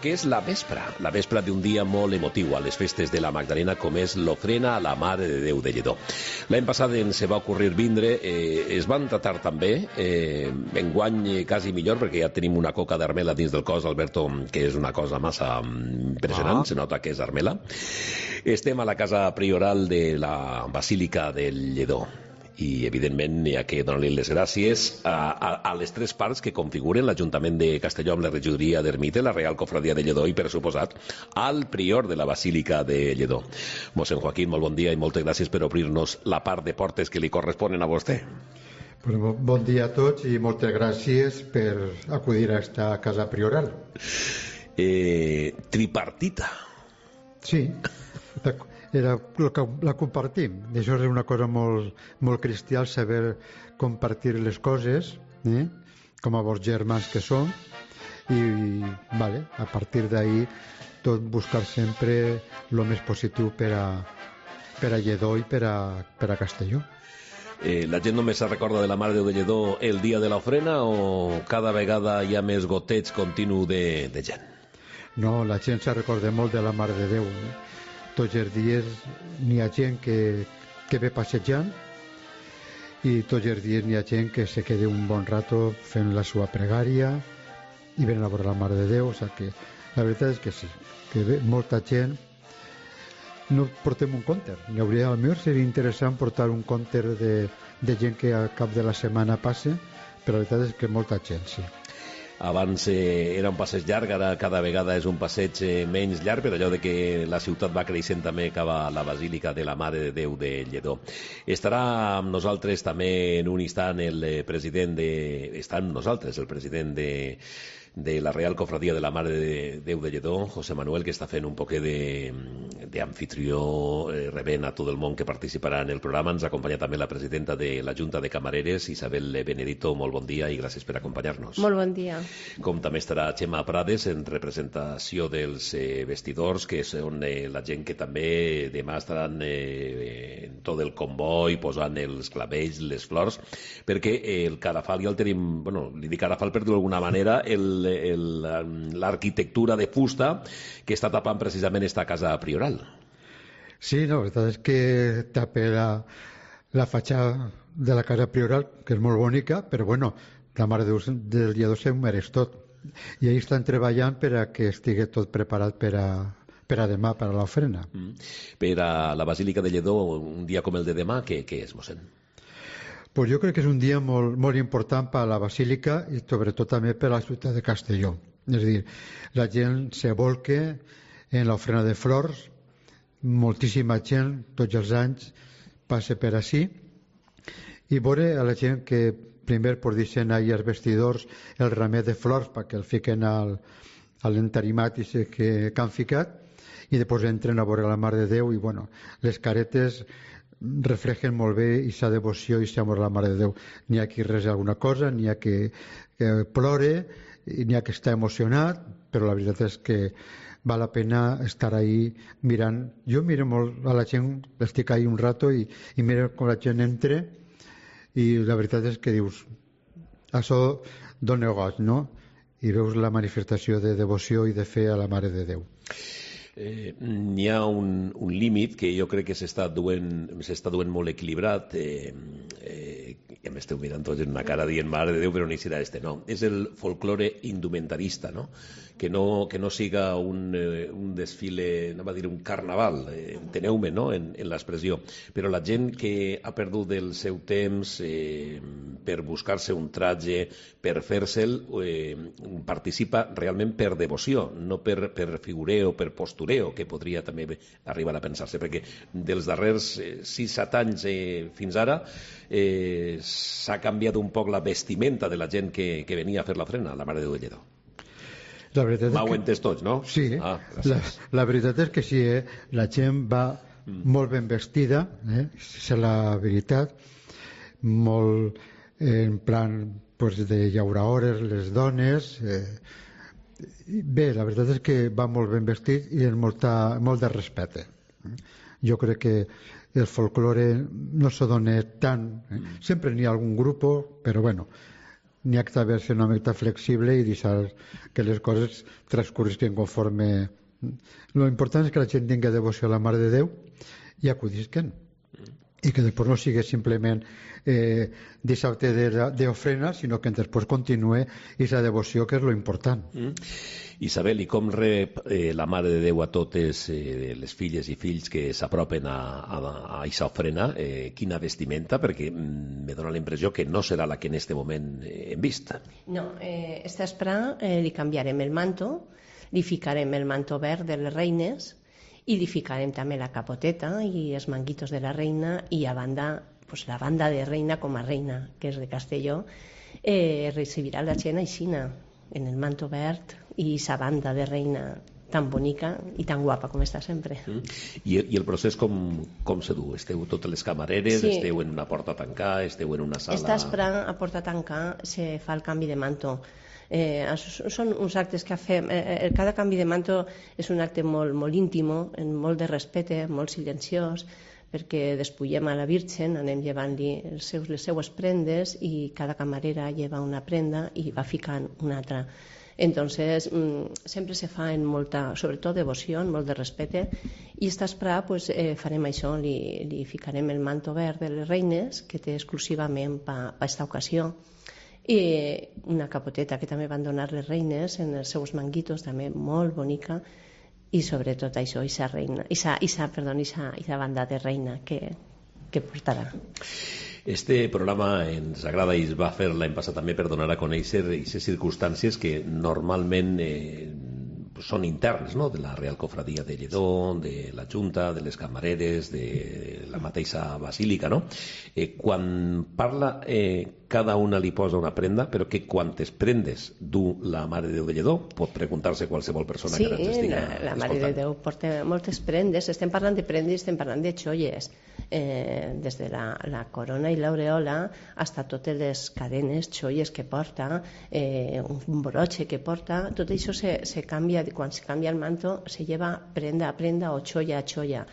Que és la vespra d'un dia molt emotiu a les festes de la Magdalena, com és l'ofrena a la Mare de Déu de Lledó. L'any passat ens va ocorrir vindre, es van tratar també, enguany quasi millor, perquè ja tenim una coca d'armela dins del cos, Alberto, que és una cosa massa impressionant, se nota que és armela. Estem a la casa prioral de la Basílica del Lledó. I, evidentment, hi ha que donar-li les gràcies a les tres parts que configuren l'Ajuntament de Castelló amb la regidoria d'Ermita, la Real Cofradia de Lledó i, per suposat, al prior de la Basílica de Lledó. Mossèn Joaquín, molt bon dia i moltes gràcies per obrir-nos la part de portes que li corresponen a vostè. Bon dia a tots i moltes gràcies per acudir a esta casa prioral. Tripartita. Sí, la compartim. Això és una cosa molt cristià, saber compartir les coses, com a bons germans que som, i a partir d'ahí tot buscar sempre el més positiu per a Lledó i per a Castelló. La gent només se recorda de la Mare de Déu de Lledó el dia de l'ofrena o cada vegada hi ha més goteig continu de gent? No, la gent se recorda molt de la Mare de Déu. Tots els dies n'hi ha gent que ve passejant i tots els dies n'hi ha gent que se queda un bon rato fent la seva pregària i ven a veure la Mare de Déu. O sigui que la veritat és que sí, que ve molta gent. No portem un compter, a mi seria interessant portar un compter de gent que al cap de la setmana passe, però la veritat és que molta gent, sí. Abans era un passeig llarg, ara cada vegada és un passeig menys llarg, per allò de que la ciutat va creixent també cap a la Basílica de la Mare de Déu de Lledó. Estarà amb nosaltres també en un instant el president de la Real Cofradia de la Mare de Déu de Lledó, José Manuel, que està fent un poquet d'anfitrió, rebent a tot el món que participarà en el programa. Ens acompanya també la presidenta de la Junta de Camareres, Isabel Benedito. Molt bon dia i gràcies per acompanyar-nos. Molt bon dia. Com també estarà Xema Prades en representació dels vestidors, que són la gent que també demà estaran en tot el comboi posant els clavells, les flors, perquè el Carafal ja el tenim, li dic Carafal per dir d'alguna manera, l'arquitectura de fusta que està tapant precisament esta casa prioral. Sí, la veritat és que tapa la fatxada de la casa prioral, que és molt bonica, però la Mare de Déu del Lledó s'ho mereix tot. I ells estan treballant per a que estigui tot preparat per a demà, per a l'ofrena. Per a la Basílica de Lledó, un dia com el de demà, què és, mossèn? Pues jo crec que és un dia molt important per a la Basílica i sobretot també per a la ciutat de Castelló. És a dir, la gent se volca en l'ofrena de flors, moltíssima gent tots els anys passa per ací i veure a la gent que primer deixen ahir els vestidors el ramet de flors perquè el fiquen a l'entarimat que han ficat i després entren a veure la Mare de Déu i les caretes reflexen molt bé aquesta devoció i aquest amor a la Mare de Déu. N'hi ha qui resa alguna cosa, n'hi ha que plore, n'hi ha que està emocionat, però la veritat és que val la pena estar ahí mirant. Jo miro molt a la gent, estic ahí un rato i miro com la gent entra i la veritat és que dius això dona goig, no? I veus la manifestació de devoció i de fe a la Mare de Déu. N'hi ha un límit que jo crec que s'està duent molt equilibrat i m'esteu mirant tots en una cara dient Mare de Déu, però ni serà no, és el folklore indumentarista, no? Que no siga un desfile, no va dir un carnaval, enteneu-me, no? En l'expressió, però la gent que ha perdut el seu temps per buscar-se un traje, per fer-se'l, participa realment per devoció, no per figureo, per postureo, que podria també arribar a pensar-se, perquè dels darrers 6-7 anys fins ara s'ha canviat un poc la vestimenta de la gent que venia a fer l'ofrena, la Mare de Déu de Lledó. M'heu entès tots, no? Sí, la veritat és que sí, la gent va molt ben vestida, és la veritat, molt en plan de llauraores, les dones, bé, la veritat és que va molt ben vestit i amb molt de respecte. Jo crec que el folklore no se dona tant, sempre n'hi ha algun grup, però n'hi ha que saber-se una mica flexible i deixar que les coses transcorrisquen conforme. Lo important és que la gent tingui devoció a la Mare de Déu i acudisquen, i que després no sigui simplement dissabte d'ofrena, sinó que després continue aquesta devoció, que és lo important. Isabel, i com rep la Mare de Déu a totes les filles i fills que s'apropen a aquesta ofrena? Quina vestimenta? Perquè me dóna la impressió que no serà la que en este moment hem vist. No, esta espera li canviarem el manto, li ficarem el manto verd de les reines i li ficarem també la capoteta i els manguitos de la reina, i a banda, pues, la banda de reina com a reina, que és de Castelló, recibirà la gent aixina, en el manto verd i sa banda de reina tan bonica i tan guapa com està sempre. I el procés com se du? Esteu totes les camareres, sí. Esteu en una porta a tancar, esteu en una sala... Està esperant a porta a tancar, se fa el canvi de manto. Són uns actes que fem, cada canvi de manto és un acte molt, molt íntim, molt de respecte, molt silenciós, perquè despullem a la Virgen, anem llevant-li les seues prendes i cada camarera lleva una prenda i va ficant una altra. Entonces, sempre se fa en molta, sobretot devoció, molt de respecte, i esta espera pues, farem això, li ficarem el manto verd de les reines, que té exclusivament per aquesta ocasió, i una capoteta que també van donar les reines en els seus manguitos, també molt bonica, i sobretot això, aquesta banda de reina que portarà. Este programa ens agrada i es va fer l'any passat també per donar a conèixer aquestes circumstàncies que normalment són interns, no? De la Real Cofradia de Lledó, de la Junta, de les camareres, de la mateixa basílica, no? Quan parla, cada una li posa una prenda, però que quantes prendes du la Mare de Déu de Lledó? Pot preguntar-se qualsevol persona que ens estiga escoltant. Sí, la Mare de Déu porta moltes prendes. Estem parlant de prendes, estem parlant de xolles. Des de la corona i l'aureola fins a totes les cadenes, xolles que porta, un broche que porta, tot això se canvia, quan se canvia el manto se lleva prenda a prenda o xolla a xolla.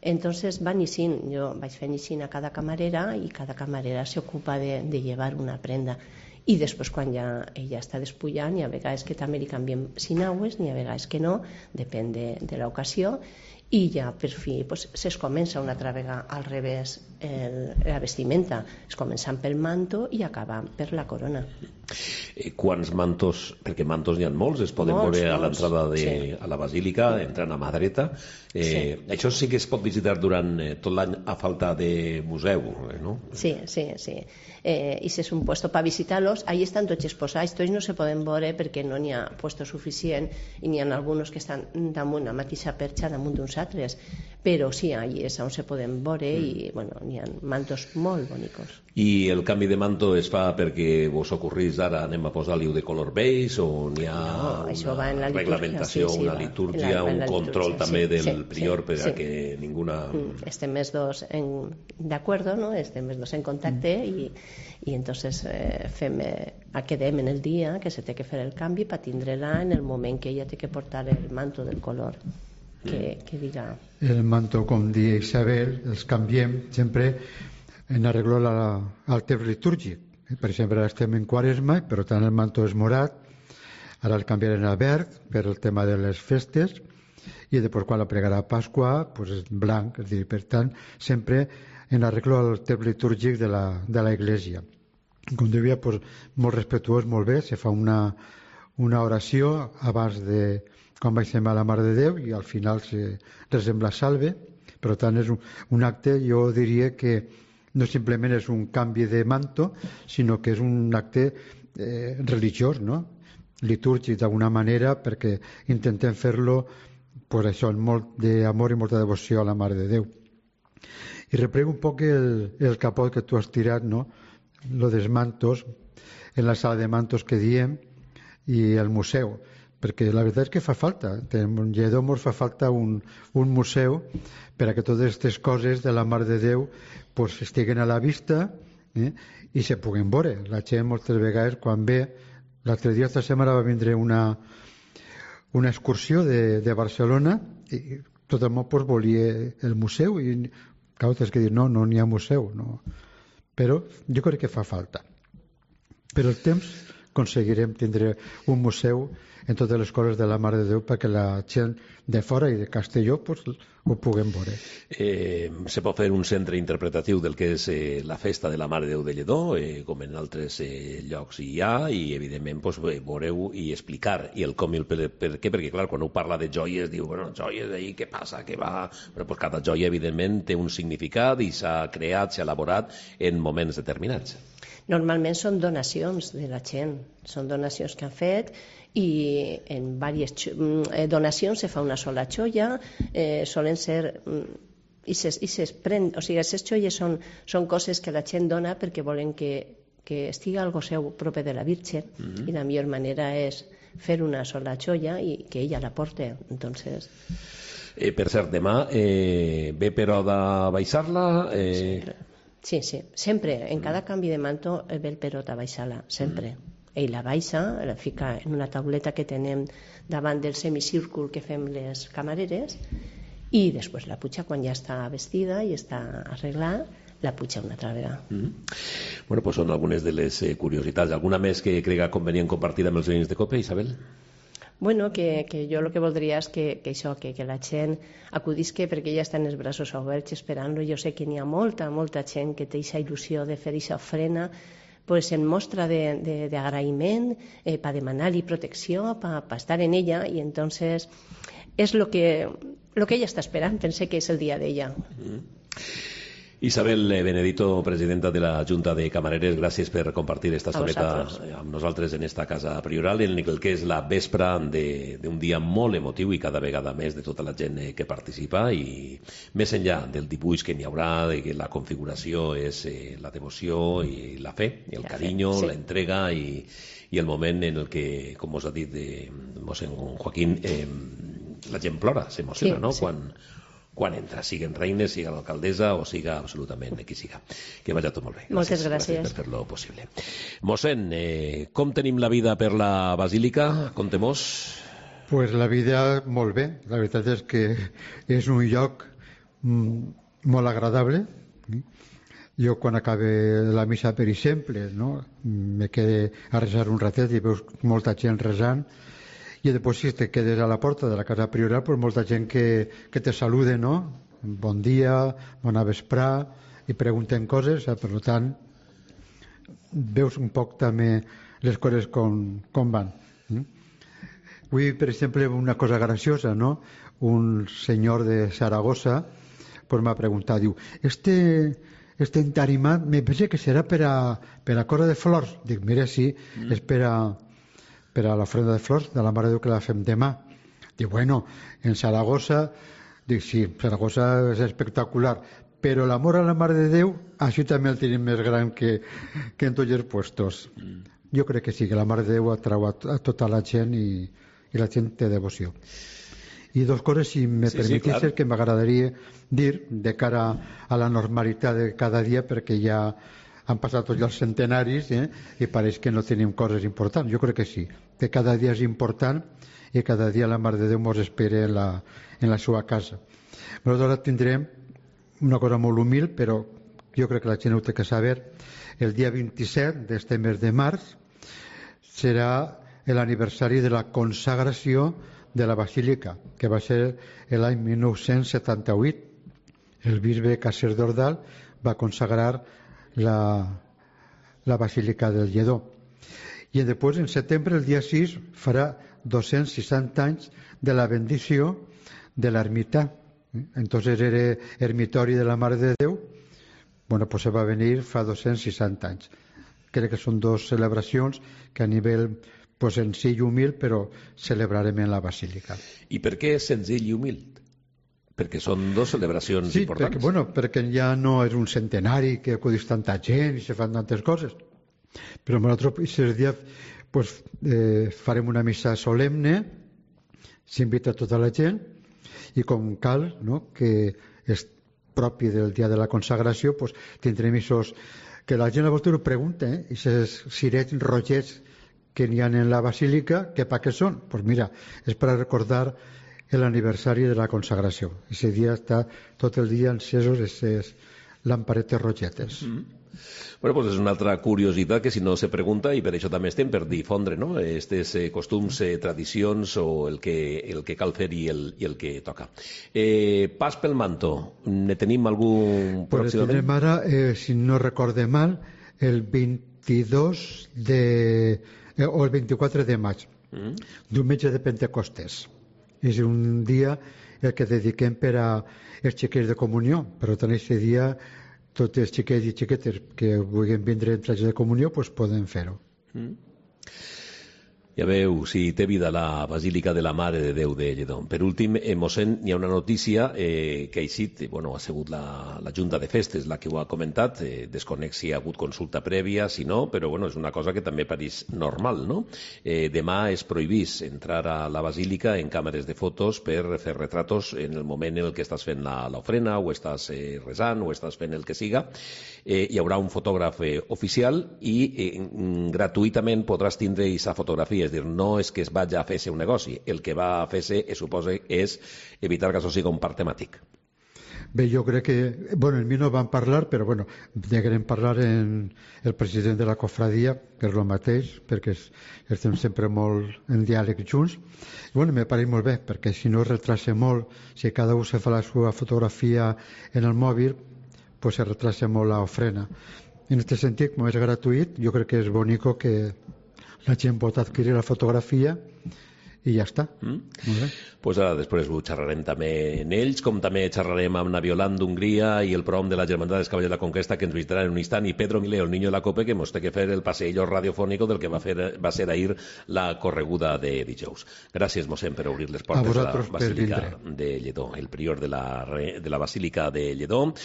Entonces van ixint, jo vaig fent ixint a cada camarera i cada camarera s'ocupa de llevar una prenda. I després quan ja ella està despullant, hi ha vegades que també li canviem sinaues, n'hi ha vegades que no, depèn de l'ocasió, i ja per fi pues, es comença una altra vegada al revés la vestimenta, es començant pel manto i acabant per la corona. Quants mantos, perquè mantos n'hi ha molts, es poden veure a l'entrada a la basílica, entrant a mà dreta. Això sí que es pot visitar durant tot l'any a falta de museu, no? Sí. I si és un puesto per visitar-los, ahí estan tots exposats, tots no se poden veure perquè no n'hi ha puesto suficient i n'hi ha alguns que estan damunt la mateixa perxa damunt d'uns altres, però sí, allí és on se poden veure i bueno, n'hi ha mantos molt bonicos. I el canvi de manto es fa perquè vos ocorrís ara anem a posar-li de color beige o n'hi ha una reglamentació, una litúrgia, un control també del prior per a que ninguna... Estem més dos d'acord, ¿no? Estem més dos en contacte i entonces quedem en el dia que se té que fer el canvi per tindre-la en el moment que ella té que portar el manto del color que diga. El manto, com diu Isabel, els canviem sempre en arreglo al temps litúrgic. Per exemple, ara estem en Quaresma, per tant el manto és morat, ara el canviarem a verd per el tema de les festes, i després quan la pregarà a Pasqua pues és blanc, és dir, per tant sempre en arreglo al temps litúrgic de la Iglesia. Com devia, pues, molt respectuós, molt bé, se fa una oració abans de quan baixem a la Mare de Déu i al final se resem la salve. Per tant és un acte, jo diria que no simplement és un canvi de manto, sinó que és un acte religiós, no? Litúrgic d'alguna manera, perquè intentem fer-lo pues això, amb molt d'amor i molta devoció a la Mare de Déu. I reprego un poc el capot que tu has tirat, no? Lo dels mantos, en la sala de mantos que diem, i el museu, perquè la veritat és que fa falta. En Lledó ens fa falta un museu per a que totes aquestes coses de la Mare de Déu pues, estiguen a la vista i se puguen veure. La gent moltes vegades quan ve, l'altre dia, esta setmana va vindre una excursió de Barcelona i tothom pues, volia el museu i clar, tens que dir no n'hi ha museu, no. Però jo crec que fa falta. Per el temps aconseguirem tindre un museu en totes les coses de la Mare de Déu perquè la gent de fora i de Castelló pues, ho puguem veure. Se pot fer un centre interpretatiu del que és la festa de la Mare de Déu de Lledó, com en altres llocs hi ha, i evidentment pues, veureu i explicar i el com i el per què, perquè clar, quan ho parla de joies diu, bueno, joies ahí, què passa, què va? Bueno, pues, cada joia evidentment té un significat i s'ha creat, s'ha elaborat en moments determinats. Normalment són donacions de la gent, són donacions que han fet i en diverses donacions se fa una sola xoia, solen ser i ses pren, o sigui, aquestes xolles són coses que la gent dona perquè volen que estigui algo seu proper de la Virgen i la millor manera és fer una sola xoia i que ella la porte. Entonces... per cert, demà ve però de baixar-la... Sí, sempre, en cada canvi de manto ve el perot a baixar-la, sempre. Ell la baixa, la fica en una tauleta que tenem davant del semicírcul que fem les camareres i després la puja quan ja està vestida i està arreglada, la puja una altra vegada. Bueno, pues són algunes de les curiositats. Alguna més que crega convenient compartir amb els veïns de Cope, Isabel? Bueno, que jo el que voldria és que la gent acudisque perquè ella està en els braços oberts esperant-lo. Jo sé que n'hi ha molta gent que té aquesta il·lusió de fer aquesta ofrena pues en mostra d'agraïment, per demanar-li protecció, per estar en ella, i entonces és lo que ella està esperant. Pense que és el dia d'ella. Isabel Benedito, presidenta de la Junta de Camareres, gràcies per compartir esta estoneta amb nosaltres en esta casa prioral, en el que és la vespra d'un dia molt emotiu i cada vegada més de tota la gent que participa, i més enllà del dibuix que n'hi haurà, de que la configuració és la devoció i la fe, el carinyo, la entrega i el moment en el que, com us ha dit mossèn Joaquín, la gent plora, s'emociona, no? Quan entra, siguen reines, siga l'alcaldessa o siga absolutament qui siga. Que vagi tot molt bé. Moltes gràcies. Gràcies per fer-lo possible. Mossèn, com tenim la vida per la Basílica? Contem-nos. Pues la vida molt bé. La veritat és que és un lloc molt agradable. Jo quan acabe la missa, per exemple, no? Me quedé a resar un ratet i veus molta gent resant. I després si te quedes a la porta de la casa prioral pues molta gent que te salude, no? Bon dia, bona vesprà, i pregunten coses, per tant veus un poc també les coses com van. Avui, per exemple, una cosa graciosa, no? Un senyor de Saragossa pues m'ha preguntat, diu, este entarimat me pensa que serà per a Cora de Flors. Dic, mira, sí, és per a l'ofrenda de flors de la Mare de Déu que la fem demà. Dic, bueno, en Saragossa, dic, sí, Saragossa és espectacular, però l'amor a la Mare de Déu, això també el tenim més gran que en tots els puestos. Jo crec que sí, que la Mare de Déu atrau a tota la gent i la gent té devoció. I dos coses, si me permetís, que m'agradaria dir de cara a la normalitat de cada dia, perquè ja han passat tots els centenaris i pareix que no tenim coses importants. Jo crec que sí, que cada dia és important i cada dia la Mare de Déu ens espera en la seva casa. Nosaltres tindrem una cosa molt humil, però jo crec que la gent ho té que saber. El dia 27 d'este mes de març serà l'aniversari de la consagració de la Basílica, que va ser l'any 1978. El bisbe Caser d'Ordal va consagrar la Basílica del Lledó. I després, en setembre, el dia 6, farà 260 anys de la bendició de l'ermità. Entonces era ermitori de la Mare de Déu. Bueno, pues se va venir fa 260 anys. Crec que són dues celebracions que a nivell senzill i humil, però celebrarem en la Basílica. I per què senzill i humil? Perquè són dues celebracions importants. Sí, perquè ja no és un centenari que acudís tanta gent i se fan tantes coses. Però nosaltres aquest dia farem una missa solemne, s'invita tota la gent, i com cal, no? Que és propi del dia de la consagració, tindrem aquests que la gent a voltes ho pregunta, aquests cirets rogets que n'hi ha en la Basílica, que per què són? Doncs mira, és per recordar l'aniversari de la consagració. Aquest dia està tot el dia encesos aquests lamparetes rogetes. Bueno, pues és una altra curiositat que si no se pregunta, i per això també estem per difondre, no?, estes costums, tradicions, o el que cal fer i el que toca. Pas pel manto, ne tenim algun pròximament? Tenim ara, si no recorde mal, el 22 o el 24 de maig, diumenge de Pentecostés. És un dia el que dediquem per a els xiquets de comunió, però tant aquest dia tots els xiquets i xiquetes que vulguin vindre en traje de comunió pues poden fer-ho. Ja veu, si té vida la Basílica de la Mare de Déu de Lledó. Per últim, mossèn, hi ha una notícia que ha eixit, ha sigut la Junta de Festes la que ho ha comentat, desconec si ha hagut consulta prèvia, si no, però és una cosa que també pareix normal, no? Demà és prohibís entrar a la Basílica en càmeres de fotos per fer retratos en el moment en el que estàs fent l'ofrena, o estàs resant, o estàs fent el que siga. Hi haurà un fotògraf oficial i gratuïtament podràs tindre aquesta fotografia. És dir, no és que es vagi a fer-se un negoci, el que va a fer-se, suposa, és evitar que això sigui un parc temàtic. Bé, jo crec que... en mi no van parlar, però deguem parlar en el president de la cofradia, que és el mateix, perquè estem sempre molt en diàleg junts. Me pareix molt bé, perquè si no es retrasa molt, si cada un se fa la seva fotografia en el mòbil, pues se retrasa molt l'ofrena. En aquest sentit, com és gratuït, jo crec que és bonico que la gent pot adquirir la fotografia i ja està. Pues ara després ho xerrarem també en ells, com també xerrarem amb Naviolant d'Hongria i el prom de la Germandat dels Cavallers de la Conquesta, que ens visitarà en un instant, i Pedro Mileo, el niño de la cope, que ens té que fer el passeillo radiofònico del que va ser ahir la correguda de dijous. Gràcies, mossèn, per obrir les portes de la Basílica de Lledó, el prior de la Basílica de Lledó.